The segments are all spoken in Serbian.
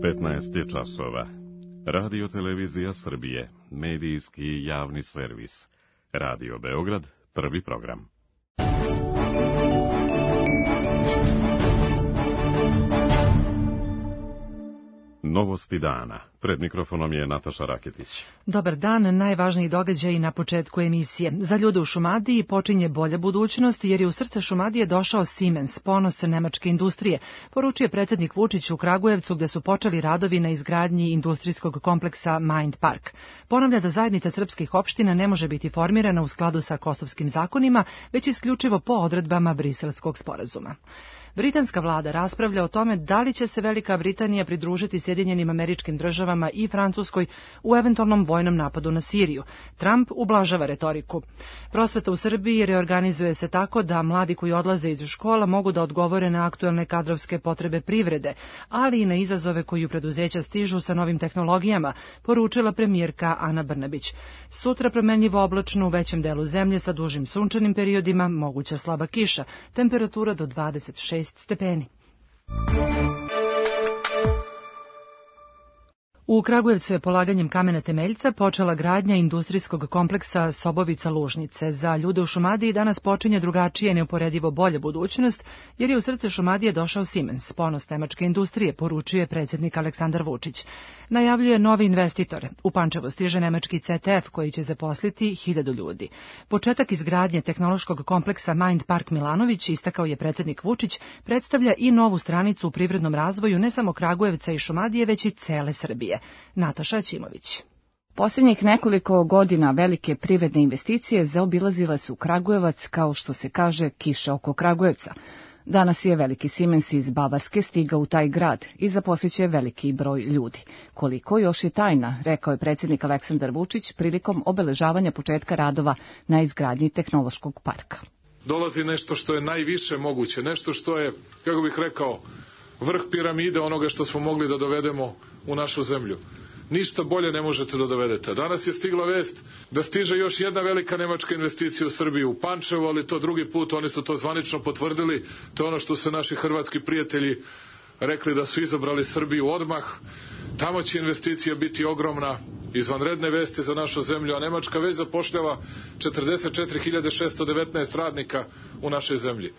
15 je časova. Radio Televizija Srbije, medijski javni servis. Radio Beograd, prvi program. Novosti dana. Pred mikrofonom je Nataša Raketić. Dobar dan, najvažniji događaj na početku emisije. Za ljude u Šumadiji počinje bolja budućnost jer je u srce Šumadije došao Siemens, ponos nemačke industrije, poručuje predsjednik Vučić u Kragujevcu gde su počeli radovi na izgradnji industrijskog kompleksa Mind Park. Ponavlja da zajednica srpskih opština ne može biti formirana u skladu sa kosovskim zakonima, već isključivo po odredbama Briselskog sporazuma. Britanska vlada raspravlja o tome da li će se Velika Britanija pridružiti Sjedinjenim Američkim Državama i Francuskoj u eventualnom vojnom napadu na Siriju. Trump ublažava retoriku. Prosveta u Srbiji reorganizuje se tako da mladi koji odlaze iz škola mogu da odgovore na aktuelne kadrovske potrebe privrede, ali i na izazove koji u preduzeća stižu sa novim tehnologijama, poručila premijerka Ana Brnabić. Sutra promenljivo oblačno u većem delu zemlje sa dužim sunčanim periodima, moguća slaba kiša, temperatura do 26 stepeni. U Kragujevcu je polaganjem kamena temeljca počela gradnja industrijskog kompleksa Sobovica-Lužnice. Za ljude u Šumadiji danas počinje drugačije neuporedivo bolja budućnost, jer je u srce Šumadije došao Siemens, ponos nemačke industrije, poručuje predsjednik Aleksandar Vučić. Najavljuje novi investitor. U Pančevo stiže nemački CTF koji će zaposliti 1000 ljudi. Početak izgradnje tehnološkog kompleksa Mind Park Milanović, istakao je predsjednik Vučić, predstavlja i novu stranicu u privrednom razvoju ne samo Kragujevca i Šumadije, već i cele Srbije. Nataša Ćimović. Posljednjih nekoliko godina velike privredne investicije zaobilazile su Kragujevac, kao što se kaže kiša oko Kragujevca. Danas je veliki Siemens iz Bavarske stigao u taj grad i zaposliće veliki broj ljudi. Koliko još je tajna, rekao je predsjednik Aleksandar Vučić prilikom obeležavanja početka radova na izgradnji tehnološkog parka. Dolazi nešto što je najviše moguće, nešto što je, kako bih rekao, vrh piramide onoga što smo mogli da dovedemo u našu zemlju. Ništa bolje ne možete da dovedete. Danas je stigla vest da stiže još jedna velika nemačka investicija u Srbiju, u Pančevo, ali to drugi put, oni su to zvanično potvrdili. To je ono što su naši hrvatski prijatelji rekli da su izabrali Srbiju odmah. Tamo će investicija biti ogromna, izvanredne vesti za našu zemlju, a Nemačka već zapošljava 44.619 radnika u našoj zemlji.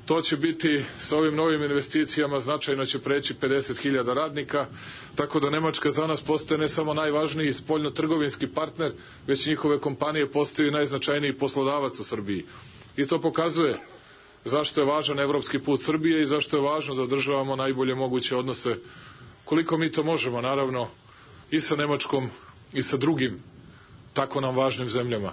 To će biti, sa ovim novim investicijama, značajno će preći 50.000 radnika, tako da Nemačka za nas postaje ne samo najvažniji spoljno-trgovinski partner, već njihove kompanije postaju najznačajniji poslodavac u Srbiji. I to pokazuje zašto je važan evropski put Srbije i zašto je važno da održavamo najbolje moguće odnose, koliko mi to možemo, naravno, i sa Nemačkom i sa drugim tako nam važnim zemljama.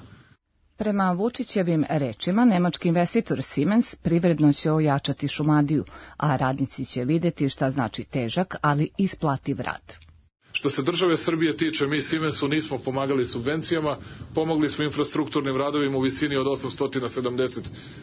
Prema Vučićevim rečima, nemački investitor Siemens privredno će ojačati Šumadiju, a radnici će vidjeti šta znači težak, ali isplativ rad. Što se države Srbije tiče, mi Siemensu nismo pomagali subvencijama, pomogli smo infrastrukturnim radovima u visini od 870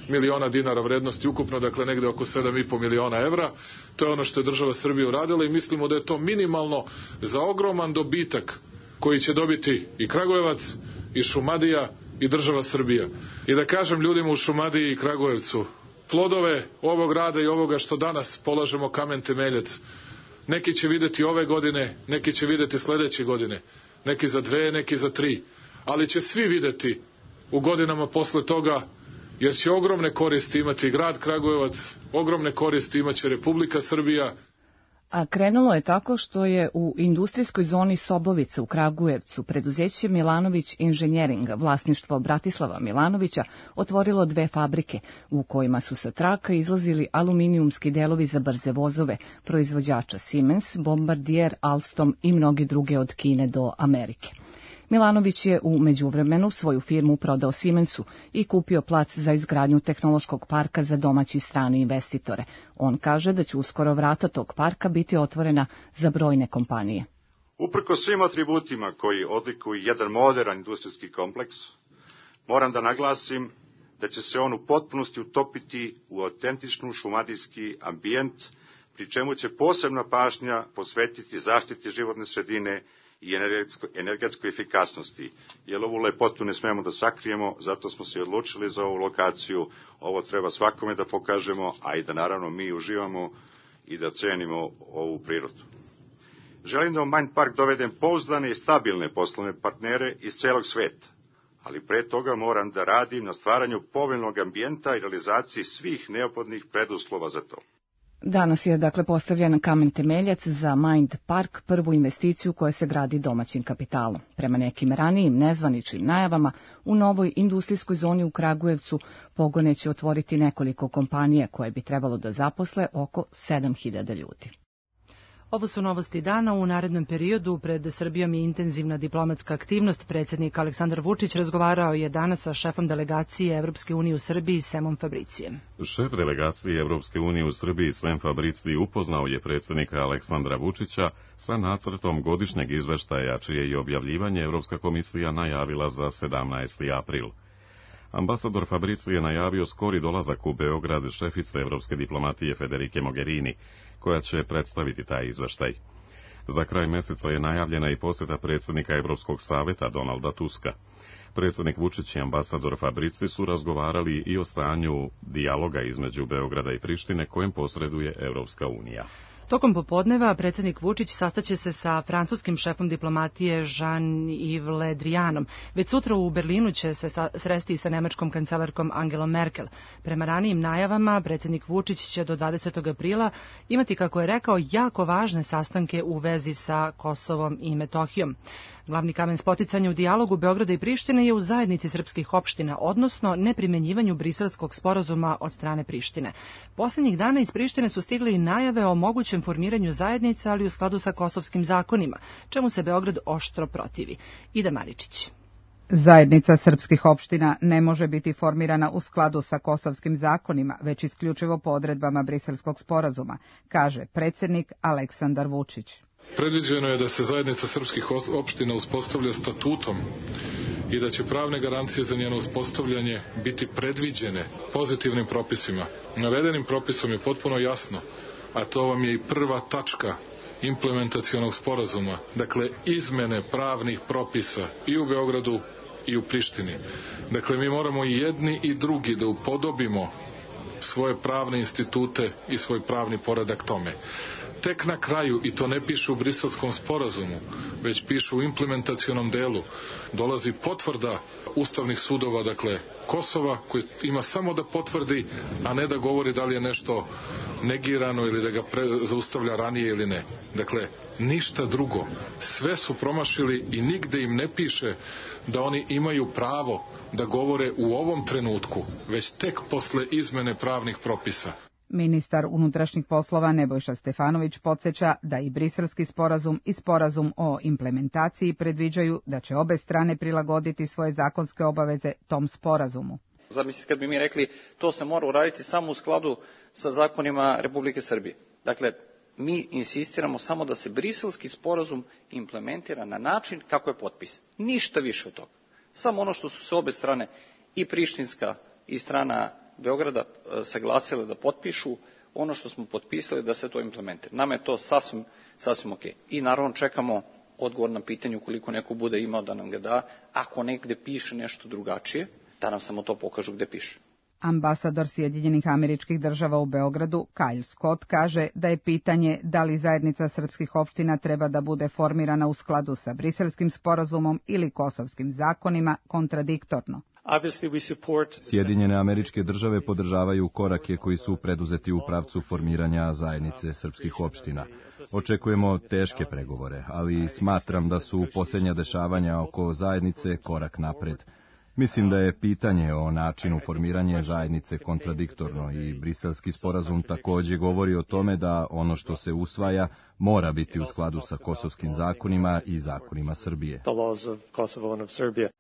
miliona dinara vrednosti ukupno, dakle negde oko 7,5 miliona evra. To je ono što je država Srbije uradila i mislimo da je to minimalno za ogroman dobitak koji će dobiti i Kragujevac, i Šumadija, i država Srbija. I da kažem ljudima u Šumadiji i Kragujevcu, plodove ovog rada i ovoga što danas polažemo kamen temeljac, neki će videti ove godine, neki će videti sledeće godine, neki za 2, neki za 3, ali će svi videti u godinama posle toga, jer će ogromne koristi imati grad Kragujevac, ogromne koristi imaće Republika Srbija. A krenulo je tako što je u industrijskoj zoni Sobovica u Kragujevcu preduzeće Milanović Inženjering, vlasništvo Bratislava Milanovića, otvorilo 2 fabrike u kojima su sa traka izlazili aluminijumski delovi za brze vozove, proizvođača Siemens, Bombardier, Alstom i mnogi druge od Kine do Amerike. Milanović je u međuvremenu svoju firmu prodao Siemensu i kupio plac za izgradnju tehnološkog parka za domaći i strane investitore. On kaže da će uskoro vrata tog parka biti otvorena za brojne kompanije. Uprkos svim atributima koji odlikuju jedan moderan industrijski kompleks, moram da naglasim da će se on u potpunosti utopiti u autentičnu šumadijski ambijent, pri čemu će posebna pažnja posvetiti zaštiti životne sredine i energetskoj efikasnosti, jer ovu lepotu ne smemo da sakrijemo, zato smo se odlučili za ovu lokaciju, ovo treba svakome da pokažemo, a i da naravno mi uživamo i da cenimo ovu prirodu. Želim da u Mind Park dovedem pouzdane i stabilne poslovne partnere iz celog sveta, ali pre toga moram da radim na stvaranju povoljnog ambijenta i realizaciji svih neophodnih preduslova za to. Danas je dakle postavljen kamen temeljac za Mind Park, prvu investiciju koja se gradi domaćim kapitalom. Prema nekim ranijim nezvaničnim najavama, u novoj industrijskoj zoni u Kragujevcu pogone će otvoriti nekoliko kompanija koje bi trebalo da zaposle oko 7.000 ljudi. Ovo su novosti dana. U narednom periodu pred Srbijom je intenzivna diplomatska aktivnost. Predsjednik Aleksandar Vučić razgovarao je danas sa šefom delegacije Evropske unije u Srbiji Semom Fabricijem. Šef delegacije Evropske unije u Srbiji Sem Fabricij upoznao je predsjednika Aleksandra Vučića sa nacrtom godišnjeg izveštaja, čije je objavljivanje Evropska komisija najavila za 17. april. Ambasador Fabricij je najavio skori dolazak u Beograd šefice evropske diplomatije Federike Mogherini, koja će predstaviti taj izveštaj. Za kraj meseca je najavljena i posjeta predsjednika Evropskog saveta Donalda Tuska. Predsjednik Vučić i ambasador Fabricij su razgovarali i o stanju dijaloga između Beograda i Prištine kojem posreduje Evropska unija. Tokom popodneva predsjednik Vučić sastaće se sa francuskim šefom diplomatije Jean-Yves Le Drianom. Već sutra u Berlinu će se sresti sa nemačkom kancelarkom Angelom Merkel. Prema ranijim najavama, predsjednik Vučić će do 20. aprila imati, kako je rekao, jako važne sastanke u vezi sa Kosovom i Metohijom. Glavni kamen spoticanja u dijalogu Beograda i Prištine je u zajednici srpskih opština, odnosno neprimenjivanju Briselskog sporazuma od strane Prištine. Posljednjih dana iz Prištine su stigle i najave o mogućem formiranju zajednica, ali u skladu sa kosovskim zakonima, čemu se Beograd oštro protivi. Ida Maričić. Zajednica srpskih opština ne može biti formirana u skladu sa kosovskim zakonima, već isključivo po odredbama Briselskog sporazuma, kaže predsjednik Aleksandar Vučić. Predviđeno je da se zajednica srpskih opština uspostavlja statutom i da će pravne garancije za njeno uspostavljanje biti predviđene pozitivnim propisima. Navedenim propisom je potpuno jasno, a to vam je i prva tačka implementacionog sporazuma, dakle izmene pravnih propisa i u Beogradu i u Prištini. Dakle, mi moramo i jedni i drugi da upodobimo svoje pravne institute i svoj pravni poredak tome. Tek na kraju, i to ne piše u Briselskom sporazumu, već piše u implementacionom delu, dolazi potvrda ustavnih sudova, dakle Kosova, koji ima samo da potvrdi, a ne da govori da li je nešto negirano ili da ga zaustavlja ranije ili ne. Dakle, ništa drugo. Sve su promašili i nigde im ne piše da oni imaju pravo da govore u ovom trenutku, već tek posle izmene pravnih propisa. Ministar unutrašnjih poslova Nebojša Stefanović podsjeća da i Briselski sporazum i sporazum o implementaciji predviđaju da će obe strane prilagoditi svoje zakonske obaveze tom sporazumu. Zamislite kad bi mi rekli to se mora uraditi samo u skladu sa zakonima Republike Srbije. Dakle, mi insistiramo samo da se Briselski sporazum implementira na način kako je potpisan. Ništa više od toga. Samo ono što su se obe strane, i prištinska i strana Beograda, saglasile da potpišu, ono što smo potpisali da se to implementira. Nama je to sasvim ok. I naravno čekamo odgovor na pitanje ukoliko neko bude imao da nam ga da, ako negde piše nešto drugačije, da nam samo to pokažu gde piše. Ambasador Sjedinjenih Američkih Država u Beogradu, Kyle Scott, kaže da je pitanje da li zajednica srpskih opština treba da bude formirana u skladu sa Briselskim sporazumom ili kosovskim zakonima kontradiktorno. Sjedinjene Američke Države podržavaju korake koji su preduzeti u pravcu formiranja zajednice srpskih opština. Očekujemo teške pregovore, ali smatram da su posljednja dešavanja oko zajednice korak napred. Mislim da je pitanje o načinu formiranja zajednice kontradiktorno i Briselski sporazum također govori o tome da ono što se usvaja mora biti u skladu sa kosovskim zakonima i zakonima Srbije.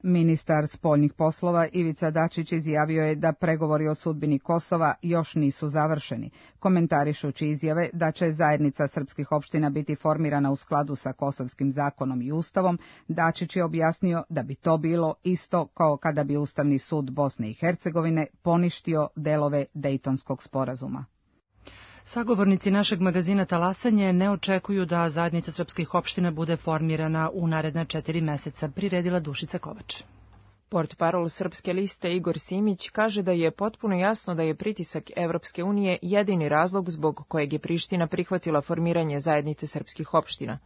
Ministar spoljnih poslova Ivica Dačić izjavio je da pregovori o sudbini Kosova još nisu završeni. Komentarišući izjave da će zajednica srpskih opština biti formirana u skladu sa kosovskim zakonom i ustavom, Dačić je objasnio da bi to bilo isto kao kada bi Ustavni sud Bosne i Hercegovine poništio delove Dejtonskog sporazuma. Sagovornici našeg magazina Talasanje ne očekuju da zajednica srpskih opština bude formirana u naredna 4 meseca, priredila Dušica Kovač. Portparol Srpske liste Igor Simić kaže da je potpuno jasno da je pritisak Evropske unije jedini razlog zbog kojeg je Priština prihvatila formiranje zajednice srpskih opština.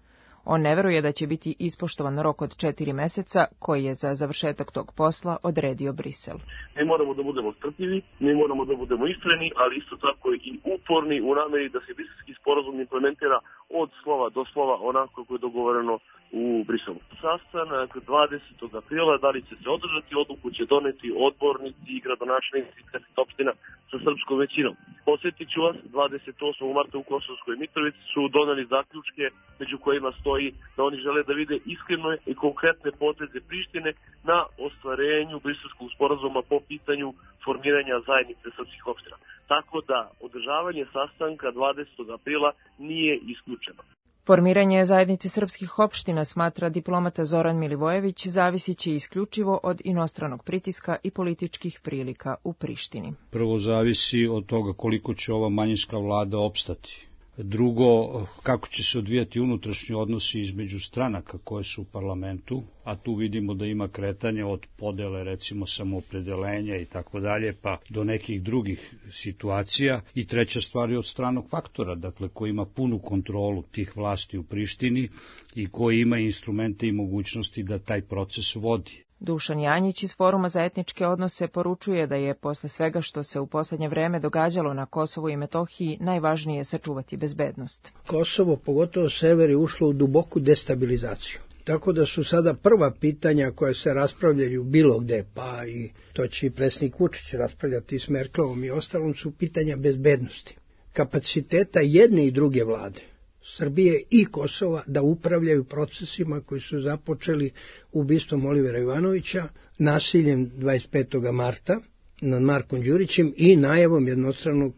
On ne veruje da će biti ispoštovan rok od 4 meseca koji je za završetak tog posla odredio Brisel. Mi moramo da budemo strpljivi, mi moramo da budemo iskreni, ali isto tako i uporni u nameri da se Briselski sporazum implementira od slova do slova onako kako je dogovoreno u Briselu. Sastanak 20. aprila, da li će se održati, odluku će doneti odbornici i gradonačelnici opština sa srpskom većinom. Posjetit ću vas, 28. marta u Kosovskoj Mitrovici su doneli zaključke među kojima stoji da oni žele da vide iskrene i konkretne poteze Prištine na ostvarenju Briselskog sporazuma po pitanju formiranja zajednice srpskih opština. Tako da održavanje sastanka 20. aprila nije isključeno. Formiranje zajednice srpskih opština, smatra diplomata Zoran Milivojević, zavisiće isključivo od inostranog pritiska i političkih prilika u Prištini. Prvo zavisi od toga koliko će ova manjinska vlada opstati. Drugo, kako će se odvijati unutrašnji odnosi između stranaka koje su u parlamentu, a tu vidimo da ima kretanje od podele, recimo samoopredelenja i tako dalje, pa do nekih drugih situacija. I treća stvar je od stranog faktora, dakle koji ima punu kontrolu tih vlasti u Prištini i koji ima instrumente i mogućnosti da taj proces vodi. Dušan Janjić iz Foruma za etničke odnose poručuje da je posle svega što se u poslednje vreme događalo na Kosovu i Metohiji najvažnije sačuvati bezbednost. Kosovo, pogotovo sever, je ušlo u duboku destabilizaciju. Tako da su sada prva pitanja koja se raspravljaju bilo gde, pa i to će i predsjednik Vučić raspravljati s Merkelovom i ostalom, su pitanja bezbednosti. Kapaciteta jedne i druge vlade, Srbije i Kosova, da upravljaju procesima koji su započeli ubistvom Olivera Ivanovića, nasiljem 25. marta nad Markom Đurićem i najavom jednostranog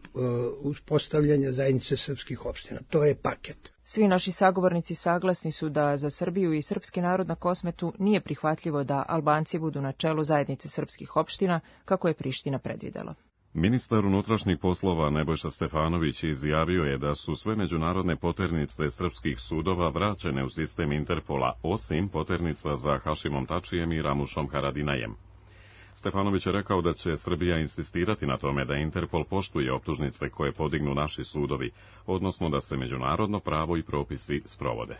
uspostavljanja zajednice srpskih opština. To je paket. Svi naši sagovornici saglasni su da za Srbiju i srpski narod na Kosmetu nije prihvatljivo da Albanci budu na čelu zajednice srpskih opština, kako je Priština predvidela. Ministar unutrašnjih poslova Nebojša Stefanović izjavio je da su sve međunarodne poternice srpskih sudova vraćene u sistem Interpola, osim poternica za Hašimom Tačijem i Ramušom Haradinajem. Stefanović je rekao da će Srbija insistirati na tome da Interpol poštuje optužnice koje podignu naši sudovi, odnosno da se međunarodno pravo i propisi sprovode.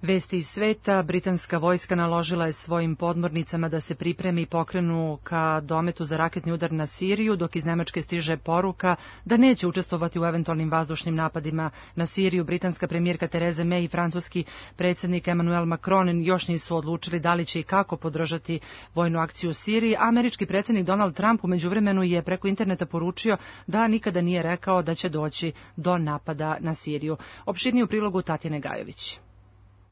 Vesti iz sveta, britanska vojska naložila je svojim podmornicama da se pripremi i pokrenu ka dometu za raketni udar na Siriju, dok iz Nemačke stiže poruka da neće učestvovati u eventualnim vazdušnim napadima na Siriju. Britanska premijerka Theresa May i francuski predsjednik Emmanuel Macron još nisu odlučili da li će i kako podržati vojnu akciju u Siriji. Američki predsjednik Donald Trump u međuvremenu je preko interneta poručio da nikada nije rekao da će doći do napada na Siriju. Opširnije u prilogu Tatjane Gajović.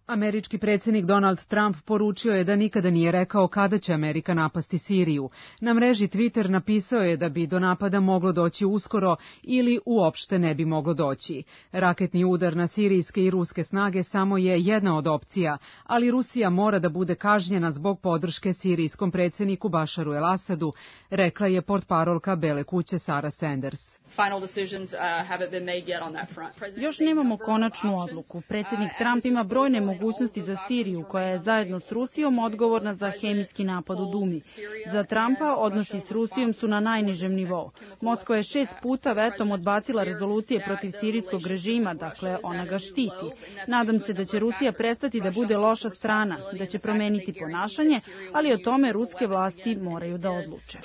Američki predsjednik Donald Trump poručio je da nikada nije rekao kada će Amerika napasti Siriju. Na mreži Twitter napisao je da bi do napada moglo doći uskoro ili uopšte ne bi moglo doći. Raketni udar na sirijske i ruske snage samo je jedna od opcija, ali Rusija mora da bude kažnjena zbog podrške sirijskom predsjedniku Bašaru el-Asadu, rekla je portparolka Bele kuće Sarah Sanders. Još nemamo konačnu odluku. Predsjednik Trump ima brojne mogućnosti za Siriju, koja je zajedno s Rusijom odgovorna za hemijski napad u Dumi. Za Trumpa odnosi s Rusijom su na najnižem nivou. Moskva je 6 puta vetom odbacila rezolucije protiv sirijskog režima, dakle ona ga štiti. Nadam se da će Rusija prestati da bude loša strana, da će promeniti ponašanje, ali o tome ruske vlasti moraju da odluče.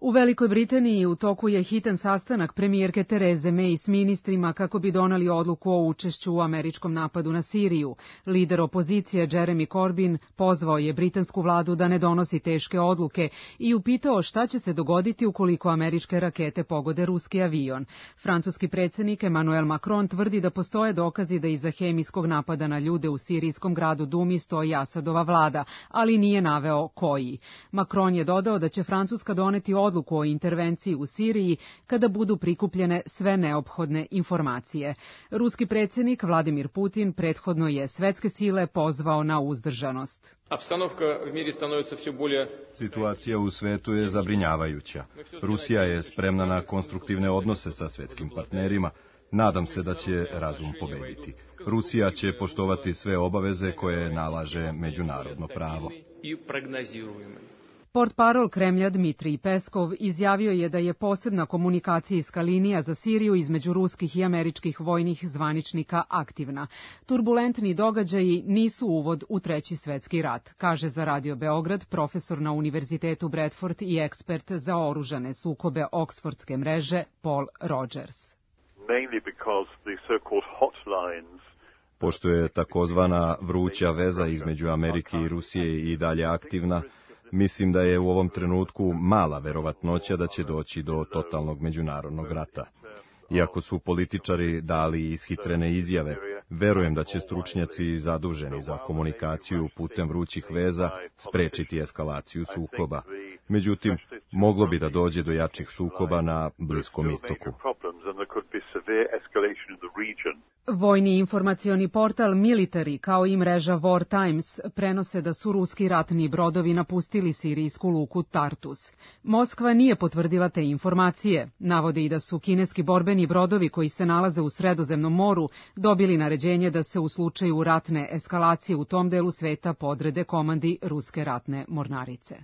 U Velikoj Britaniji u toku je hitan sastanak premijerke Therese May s ministrima kako bi doneli odluku o učešću u američkom napadu na Siriju. Lider opozicije Jeremy Corbyn pozvao je britansku vladu da ne donosi teške odluke i upitao šta će se dogoditi ukoliko američke rakete pogode ruski avion. Francuski predsjednik Emmanuel Macron tvrdi da postoje dokazi da iza hemijskog napada na ljude u sirijskom gradu Dumi stoji Asadova vlada, ali nije naveo koji. Macron je dodao da će Francuska doneti odluku o intervenciji u Siriji kada budu prikupljene sve neophodne informacije. Ruski predsjednik Vladimir Putin prethodno je svetske sile pozvao na uzdržanost. Situacija u svetu je zabrinjavajuća. Rusija je spremna na konstruktivne odnose sa svetskim partnerima. Nadam se da će razum pobediti. Rusija će poštovati sve obaveze koje nalaže međunarodno pravo. Portparol Kremlja Dmitrij Peskov izjavio je da je posebna komunikacijska linija za Siriju između ruskih i američkih vojnih zvaničnika aktivna. Turbulentni događaji nisu uvod u Treći svetski rat, kaže za Radio Beograd profesor na Univerzitetu Bradford i ekspert za oružane sukobe Oksfordske mreže Paul Rogers. Pošto je takozvana vruća veza između Amerike i Rusije i dalje aktivna, mislim da je u ovom trenutku mala verovatnoća da će doći do totalnog međunarodnog rata. Iako su političari dali ishitrene izjave, verujem da će stručnjaci zaduženi za komunikaciju putem vrućih veza sprečiti eskalaciju sukoba. Međutim, moglo bi da dođe do jačih sukoba na Bliskom istoku. Vojni informacioni portal Military kao i mreža War Times prenose da su ruski ratni brodovi napustili sirijsku luku Tartus. Moskva nije potvrdila te informacije. Navode i da su kineski borbeni brodovi koji se nalaze u Sredozemnom moru dobili naređenje da se u slučaju ratne eskalacije u tom delu sveta podrede komandi ruske ratne mornarice.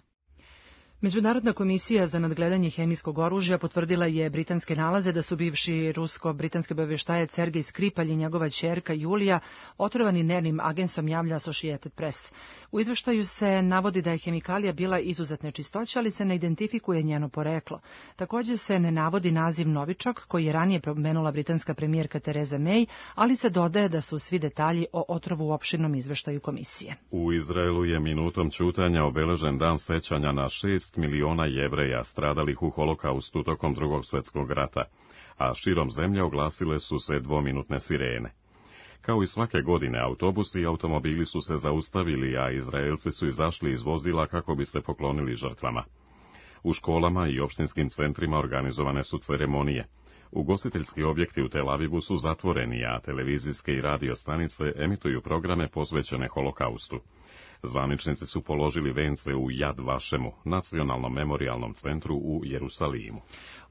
Međunarodna komisija za nadgledanje hemijskog oružja potvrdila je britanske nalaze da su bivši rusko-britanski obavještajac Sergej Skripalj i njegova ćerka Julija otrovani nervnim agensom, javlja Associated Press. U izveštaju se navodi da je hemikalija bila izuzetne čistoće, ali se ne identifikuje njeno poreklo. Također se ne navodi naziv novičak koji je ranije pomenula britanska premijerka Theresa May, ali se dodaje da su svi detalji o otrovu u opširnom izveštaju komisije. U Izraelu je minutom ćutanja obeležen dan sećanja na 6 miliona Jevreja stradalih u holokaustu tokom Drugog svjetskog rata, a širom zemlje oglasile su se dvominutne sirene. Kao i svake godine, autobusi i automobili su se zaustavili, a Izraelci su izašli iz vozila kako bi se poklonili žrtvama. U školama i opštinskim centrima organizovane su ceremonije. Ugostiteljski objekti u Tel Avivu su zatvoreni, a televizijske i radio stanice emituju programe posvećene holokaustu. Zvaničnici su položili vence u Yad Vašemu, nacionalnom memorialnom centru u Jerusalimu.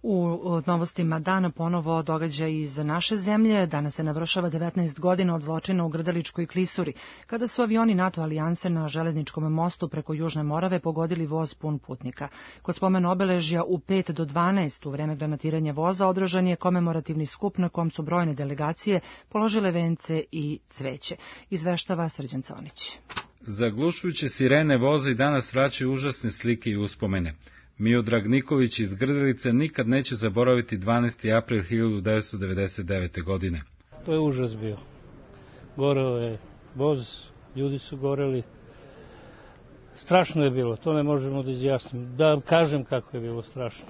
U novostima dana ponovo događaj iz naše zemlje. Danas se navršava 19 godina od zločina u Grdeličkoj klisuri, kada su avioni NATO alijanse na železničkom mostu preko Južne Morave pogodili voz pun putnika. Kod spomen obeležja u 5 do 12 u vreme granatiranja voza održan je komemorativni skup na kom su brojne delegacije položile vence i cveće. Izveštava Srđan Conić. Zaglušujuće sirene voza i danas vraćaju užasne slike i uspomene. Miodrag Nikolić iz Grdelice nikad neće zaboraviti 12. april 1999. godine. To je užas bio. Goreo je voz, ljudi su goreli. Strašno je bilo, to ne možemo da izjasnim. Da kažem kako je bilo strašno.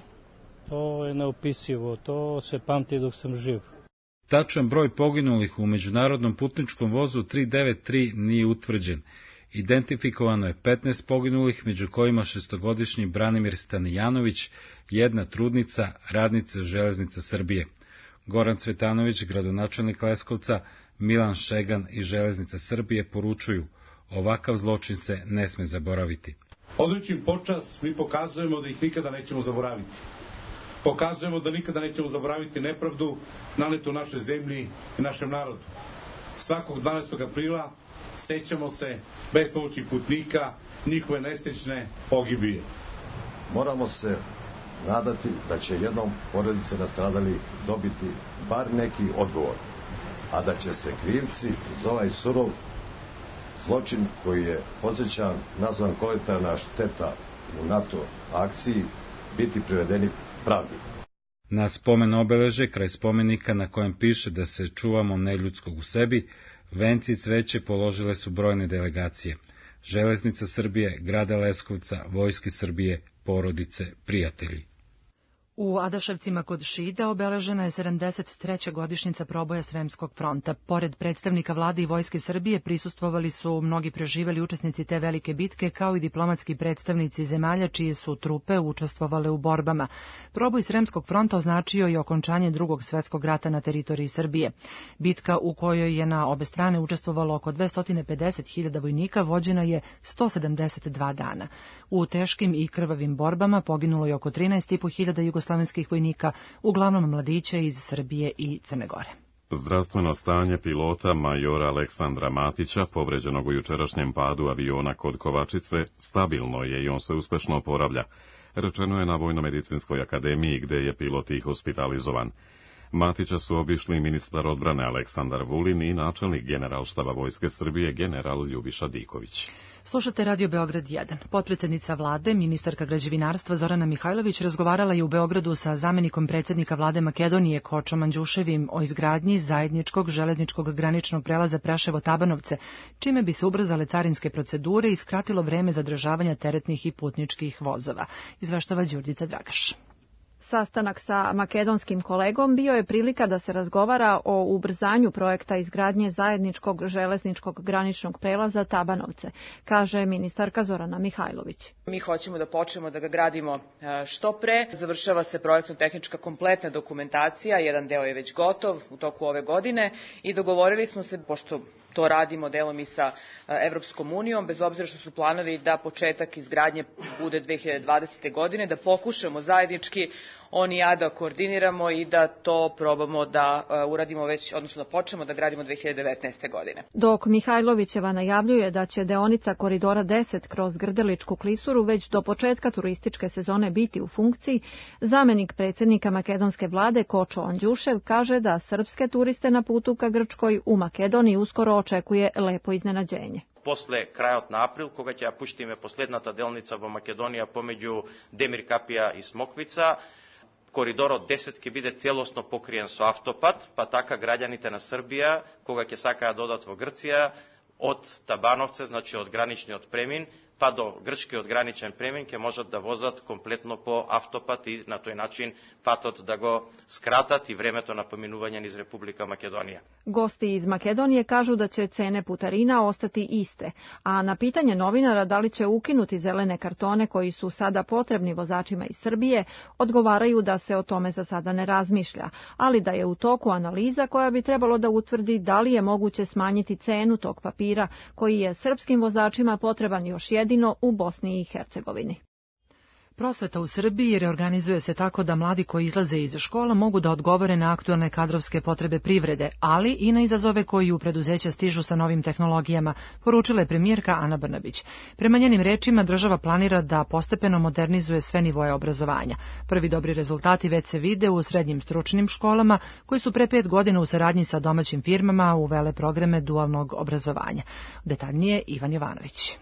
To je neopisivo, to se pamti dok sam živ. Tačan broj poginulih u međunarodnom putničkom vozu 393 nije utvrđen. Identifikovano je 15 poginulih, među kojima 6-godišnji Branimir Stanijanović, jedna trudnica, radnica Železnica Srbije. Goran Cvetanović, gradonačelnik Leskovca, Milan Šegan i Železnica Srbije poručuju: ovakav zločin se ne sme zaboraviti. Odajući im počast, mi pokazujemo da ih nikada nećemo zaboraviti. Pokazujemo da nikada nećemo zaboraviti nepravdu nanetu našoj zemlji i našem narodu. Svakog 12. aprila sećamo se bespomoćnih putnika, njihove nesrećne pogibije. Moramo se nadati da će jednom porodice nastradalih dobiti bar neki odgovor, a da će se krivci za ovaj surov zločin koji je, podsjećam, nazvan kolateralna šteta u NATO akciji, biti privedeni pravdi. Na spomen obeleže kraj spomenika na kojem piše da se čuvamo neljudskog u sebi, venci i cveće položile su brojne delegacije. Železnica Srbije, grada Leskovca, Vojske Srbije, porodice, prijatelji. U Adaševcima kod Šida obeležena je 73. godišnjica proboja Sremskog fronta. Pored predstavnika vlade i Vojske Srbije prisustvovali su mnogi preživeli učesnici te velike bitke, kao i diplomatski predstavnici zemalja čije su trupe učestvovale u borbama. Proboj Sremskog fronta označio je okončanje Drugog svjetskog rata na teritoriji Srbije. Bitka u kojoj je na obe strane učestvovalo oko 250.000 vojnika vođena je 172 dana. U teškim i krvavim borbama poginulo je oko 13.500 jugoslovenskih vojnika, uglavnom mladića iz Srbije i Crne Gore. Zdravstveno stanje pilota majora Aleksandra Matića, povređenog u jučerašnjem padu aviona kod Kovačice, stabilno je i on se uspešno oporavlja, rečeno je na Vojno-medicinskoj akademiji gde je pilot i hospitalizovan. Matića su obišli ministar odbrane Aleksandar Vulin i načelnik Generalštaba Vojske Srbije general Ljubiša Diković. Slušate Radio Beograd 1. Potpredsednica vlade, ministarka građevinarstva Zorana Mihajlović razgovarala je u Beogradu sa zamenikom predsjednika vlade Makedonije Kočom Andjuševim o izgradnji zajedničkog železničkog graničnog prelaza Preševo-Tabanovce, čime bi se ubrzale carinske procedure i skratilo vreme zadržavanja teretnih i putničkih vozova, izveštava Đurđica Dragaš. Sastanak sa makedonskim kolegom bio je prilika da se razgovara o ubrzanju projekta izgradnje zajedničkog železničkog graničnog prelaza Tabanovce, kaže ministarka Zorana Mihajlović. Mi hoćemo da počnemo da ga gradimo što pre. Završava se projektno-tehnička kompletna dokumentacija, jedan deo je već gotov u toku ove godine i dogovorili smo se, pošto to radimo delom i sa Evropskom unijom, bez obzira što su planovi da početak izgradnje bude 2020. godine, da pokušamo zajednički on i ja da koordiniramo i da to probamo da uradimo već, odnosno da počnemo da gradimo 2019. godine. Dok Mihajlovićeva najavljuje da će deonica koridora 10 kroz Grdeličku klisuru već do početka turističke sezone biti u funkciji, zamenik predsjednika makedonske vlade Kočo Andjušev kaže da srpske turiste na putu ka Grčkoj u Makedoniji uskoro očekuje lepo iznenađenje. После крајот на април, кога ќе ја пуштиме последната делница во Македонија помеѓу Демир Капија и Смоквица, коридорот 10 ќе биде целосно покриен со автопат, па така граѓаните на Србија, кога ќе сакаат да одат во Грција, од Табановце, значи од граничниот премин, па до грчкиот граничен премин ќе можат да возат комплетно по автопат и на тој начин патот да го скратат и времето на поминување низ Република Македонија. Gosti iz Makedonije kažu da će cene putarina ostati iste, a na pitanje novinara da li će ukinuti zelene kartone koji su sada potrebni vozačima iz Srbije, odgovaraju da se o tome za sada ne razmišlja, ali da je u toku analiza koja bi trebalo da utvrdi da li je moguće smanjiti cenu tog papira koji je srpskim vozačima potreban još jedino u Bosni i Hercegovini. Prosveta u Srbiji reorganizuje se tako da mladi koji izlaze iz škola mogu da odgovore na aktualne kadrovske potrebe privrede, ali i na izazove koji u preduzeća stižu sa novim tehnologijama, poručila je premijerka Ana Brnabić. Prema njenim rečima, država planira da postepeno modernizuje sve nivoje obrazovanja. Prvi dobri rezultati već se vide u srednjim stručnim školama, koji su pre 5 godina u saradnji sa domaćim firmama uvele programe dualnog obrazovanja. Detaljnije Ivan Jovanović.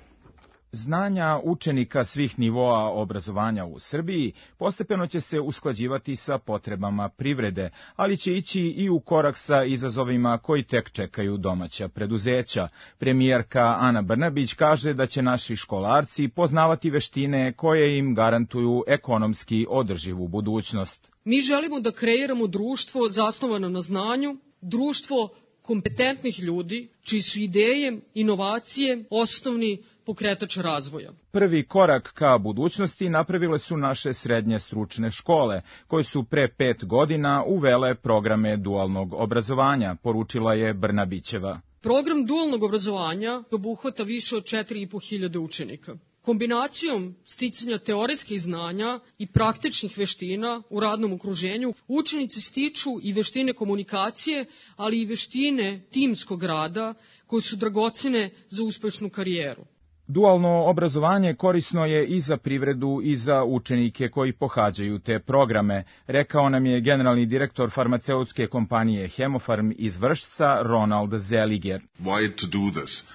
Znanja učenika svih nivoa obrazovanja u Srbiji postepeno će se usklađivati sa potrebama privrede, ali će ići i u korak sa izazovima koji tek čekaju domaća preduzeća. Premijerka Ana Brnabić kaže da će naši školarci poznavati veštine koje im garantuju ekonomski održivu budućnost. Mi želimo da kreiramo društvo zasnovano na znanju, društvo kompetentnih ljudi, čiji su ideje, inovacije, osnovni pokretač razvoja. Prvi korak ka budućnosti napravile su naše srednje stručne škole, koje su pre 5 godina uvele programe dualnog obrazovanja, poručila je Brnabićeva. Program dualnog obrazovanja obuhvata više od 4.500 učenika. Kombinacijom sticanja teorijskih znanja i praktičnih veština u radnom okruženju, učenici stiču i veštine komunikacije, ali i veštine timskog rada, koje su dragocene za uspešnu karijeru. Dualno obrazovanje korisno je i za privredu i za učenike koji pohađaju te programe, rekao nam je generalni direktor farmaceutske kompanije Hemofarm iz Vršca Ronald Zeliger.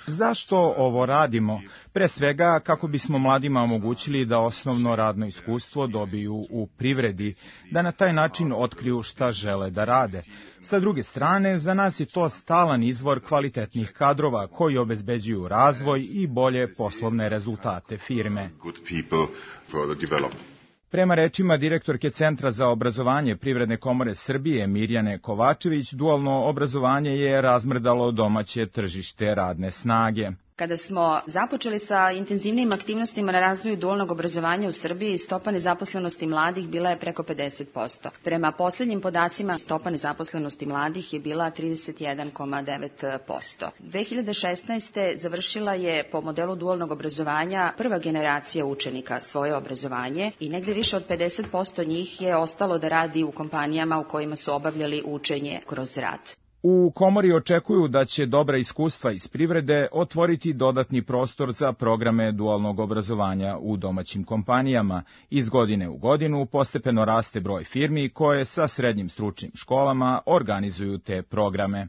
Zašto ovo radimo? Pre svega kako bismo mladima omogućili da osnovno radno iskustvo dobiju u privredi, da na taj način otkriju šta žele da rade. Sa druge strane, za nas je to stalan izvor kvalitetnih kadrova koji obezbeđuju razvoj i bolje poslovne rezultate firme. Prema rečima direktorke Centra za obrazovanje Privredne komore Srbije Mirjane Kovačević, dualno obrazovanje je razmrdalo domaće tržište radne snage. Kada smo započeli sa intenzivnim aktivnostima na razvoju dualnog obrazovanja u Srbiji, stopa nezaposlenosti mladih bila je preko 50%. Prema posljednjim podacima, stopa nezaposlenosti mladih je bila 31,9%. 2016. završila je po modelu dualnog obrazovanja prva generacija učenika svoje obrazovanje i negde više od 50% njih je ostalo da radi u kompanijama u kojima su obavljali učenje kroz rad. U komori očekuju da će dobra iskustva iz privrede otvoriti dodatni prostor za programe dualnog obrazovanja u domaćim kompanijama. Iz godine u godinu postepeno raste broj firmi koje sa srednjim stručnim školama organizuju te programe.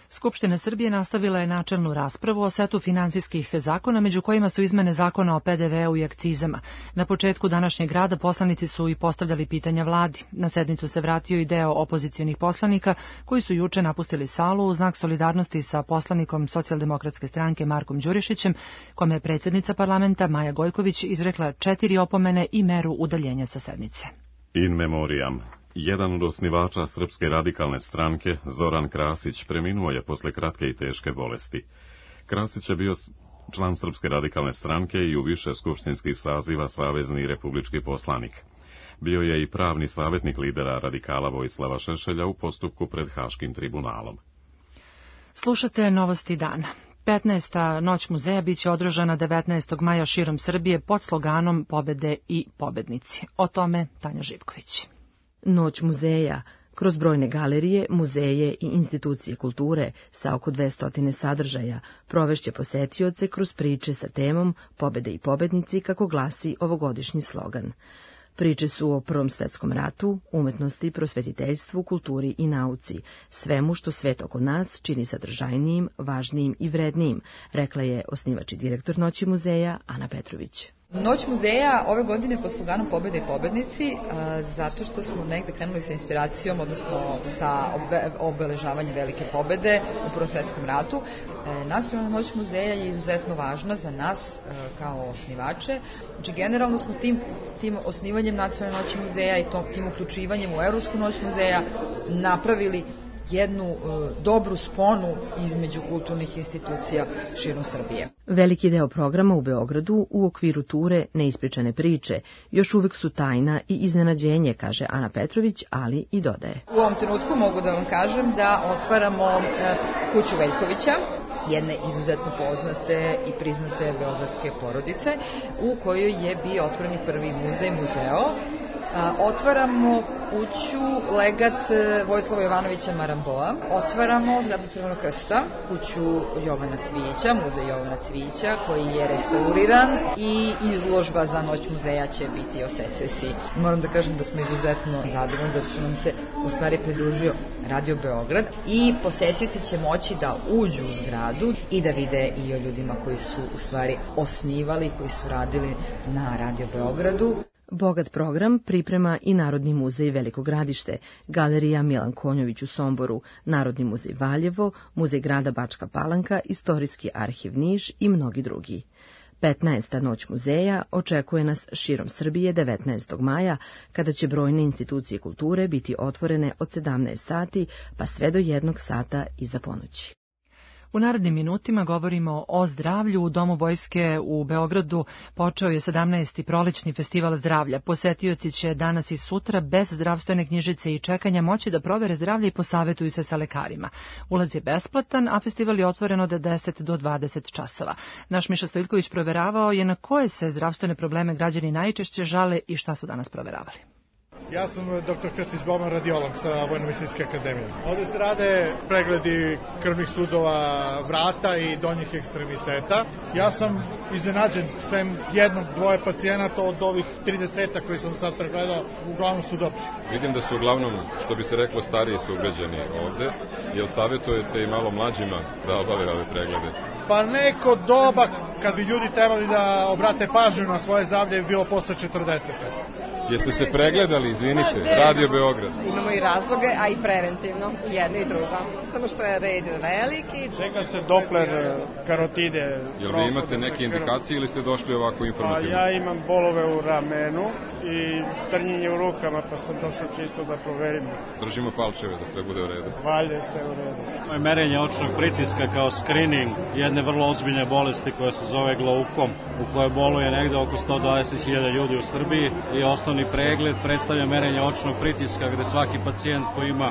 Skupština Srbije nastavila je načelnu raspravu o setu finansijskih zakona, među kojima su izmene zakona o PDV-u i akcizama. Na početku današnjeg rada poslanici su i postavljali pitanja vladi. Na sednicu se vratio i deo opozicionih poslanika koji su juče napustili salu u znak solidarnosti sa poslanikom Socijaldemokratske stranke Markom Đurišićem, kome je predsjednica parlamenta Maja Gojković izrekla 4 opomene i meru udaljenja sa sednice. In memoriam. Jedan od osnivača Srpske radikalne stranke, Zoran Krasić, preminuo je posle kratke i teške bolesti. Krasić je bio član Srpske radikalne stranke i u više skupštinskih saziva savezni i republički poslanik. Bio je i pravni savjetnik lidera radikala Vojislava Šešelja u postupku pred Haškim tribunalom. Slušate Novosti dana. 15. noć muzeja biće održana 19. maja širom Srbije pod sloganom Pobede i pobednici. O tome Tanja Živković. Noć muzeja, kroz brojne galerije, muzeje i institucije kulture sa oko 200 sadržaja, provešće posetioce kroz priče sa temom Pobede i pobednici, kako glasi ovogodišnji slogan. Priče su o Prvom svetskom ratu, umetnosti, prosvetiteljstvu, kulturi i nauci, svemu što svet oko nas čini sadržajnijim, važnijim i vrednijim, rekla je osnivač i direktor Noći muzeja Ana Petrović. Noć muzeja ove godine pod sloganom Pobede i pobednici, zato što smo negde krenuli sa inspiracijom, odnosno sa obeležavanjem velike pobede u Prvom svetskom ratu. Nacionalna noć muzeja je izuzetno važna za nas kao osnivače. Znači, generalno smo tim osnivanjem Nacionalne noći muzeja i tim uključivanjem u Evropsku noć muzeja napravili jednu dobru sponu između kulturnih institucija širom Srbije. Veliki deo programa u Beogradu u okviru ture Neispričane priče još uvek su tajna i iznenađenje, kaže Ana Petrović, ali i dodaje. U ovom trenutku mogu da vam kažem da otvaramo kuću Veljkovića, jedne izuzetno poznate i priznate beogradske porodice, u kojoj je bio otvoreni prvi muzeo. Otvaramo kuću Legat Vojislava Jovanovića Maramboa, otvaramo zgradu Crvenog krsta, kuću Jovana Cvijića, muzej Jovana Cvijića, koji je restauriran, i izložba za Noć muzeja će biti o secesiji. Moram da kažem da smo izuzetno zadovoljni da su nam se u stvari pridružio Radio Beograd i posetioci će moći da uđu u zgradu i da vide i o ljudima koji su u stvari osnivali, koji su radili na Radio Beogradu. Bogat program priprema i Narodni muzej Veliko Gradište, Galerija Milan Konjović u Somboru, Narodni muzej Valjevo, Muzej grada Bačka Palanka, Istorijski arhiv Niš i mnogi drugi. 15. noć muzeja očekuje nas širom Srbije 19. maja, kada će brojne institucije kulture biti otvorene od 17 sati pa sve do 1 sata iza ponoći. U narednim minutima govorimo o zdravlju. U Domu vojske u Beogradu počeo je 17. prolećni festival zdravlja. Posetioci će danas i sutra bez zdravstvene knjižice i čekanja moći da provere zdravlje i posavetuju se sa lekarima. Ulaz je besplatan, a festival je otvoren od 10 do 20 časova. Naš Miša Stojljković proveravao je na koje se zdravstvene probleme građani najčešće žale i šta su danas proveravali. Ja sam dr. Krstić Boban, radiolog sa Vojno-medicinske akademije. Ovdje se rade pregledi krvnih sudova vrata i donjih ekstremiteta. Ja sam iznenađen, sem 1-2 pacijenata od ovih 30 koji sam sad pregledao, uglavnom su dobri. Vidim da su uglavnom, što bi se reklo, stariji sugrađani ovde. Jel savjetujete i malo mlađima da obave ove preglede? Pa neko doba kad bi ljudi trebali da obrate pažnju na svoje zdravlje bi bilo posle 40. Jeste se pregledali, izvinite, Radio Beograd? Imamo i razloge, a i preventivno, jedno i drugo. Samo što je red veliki. Čega se Doppler karotide. Jel vi imate neke indikacije ili ste došli ovako informativno? Ja imam bolove u ramenu i trnjenje u rukama, pa sam došao čisto da proverim. Držimo palčeve da sve bude u redu. Valje se u redu. Merenje očnog pritiska kao screening jedne vrlo ozbiljne bolesti koja se zove glaukom, u kojoj boluje negde oko 120.000 ljudi u Srbiji i osnovni pregled predstavlja merenje očnog pritiska, gde svaki pacijent koji ima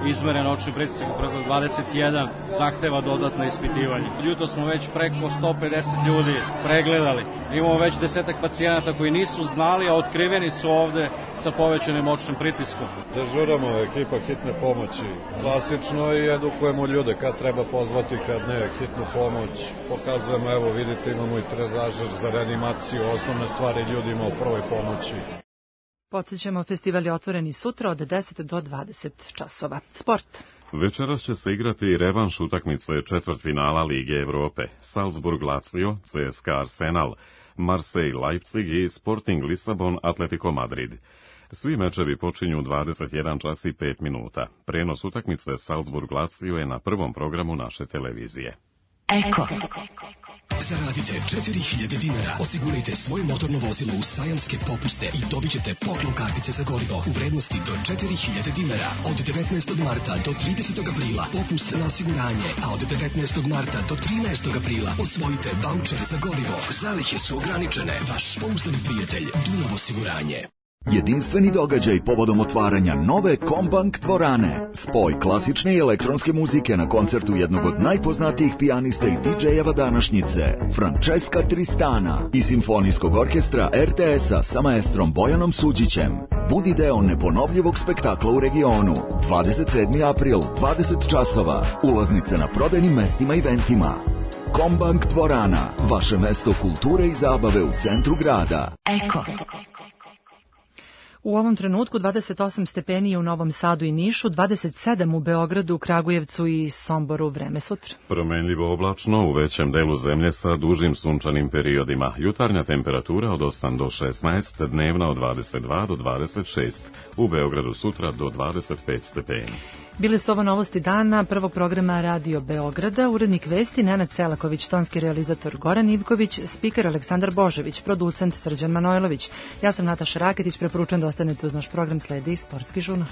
izmeren očni pritisak preko 21 zahteva dodatno ispitivanje. Jutro smo već preko 150 ljudi pregledali. Imamo već 10 pacijenata koji nisu znali, a otkriveni su ovde sa povećanim očnim pritiskom. Dežuramo ekipa hitne pomoći. Klasično i edukujemo ljude kad treba pozvati, kad ne, hitnu pomoć. Pokazujemo, evo vidite, imamo i trenažer za reanimaciju, osnovne stvari ljudima u prvoj pomoći. Podsjećamo, festival je otvoren i sutra od 10 do 20 časova. Sport. Večeras će se igrati i revanš utakmice četvrtfinala Lige Evrope. Salzburg-Lazio, CSKA Arsenal, Marseille-Leipzig i Sporting Lisabon-Atletico Madrid. Svi mečevi počinju 21 čas i 5 minuta. Prenos utakmice Salzburg-Lazio je na prvom programu naše televizije. Eko. Zaradite 4.000 dinara, osigurajte svoje motorno vozilo u sajamske popuste i dobit ćete poklon kartice za gorivo u vrednosti do 4.000 dinara. Od 19. marta do 30. aprila popust na osiguranje, a od 19. marta do 13. aprila osvojite vaučer za gorivo. Zalihe su ograničene. Vaš pouzdani prijatelj Dunav osiguranje. Jedinstveni događaj povodom otvaranja nove Kombank dvorane. Spoj klasične i elektronske muzike na koncertu jednog od najpoznatijih pijanista i DJ-eva današnjice, Francesca Tristana, i simfonijskog orkestra RTS-a sa maestrom Bojanom Suđićem. Budi deo neponovljivog spektakla u regionu. 27. april, 20 časova. Ulaznice na prodajnim mestima i eventima. Kombank dvorana, vaše mesto kulture i zabave u centru grada. Eko. U ovom trenutku 28 stepeni u Novom Sadu i Nišu, 27 u Beogradu, Kragujevcu i Somboru. Vreme sutra. Promenljivo oblačno u većem delu zemlje sa dužim sunčanim periodima. Jutarnja temperatura od 8 do 16, dnevna od 22 do 26. U Beogradu sutra do 25 stepeni. Bile su ovo novosti dana prvog programa Radio Beograda, urednik vesti Nenad Selaković, tonski realizator Goran Ivković, spiker Aleksandar Božević, producent Srđan Manojlović. Ja sam Nataša Raketić, preporučujem da ostanete uz naš program, sledi Sportski žurnal.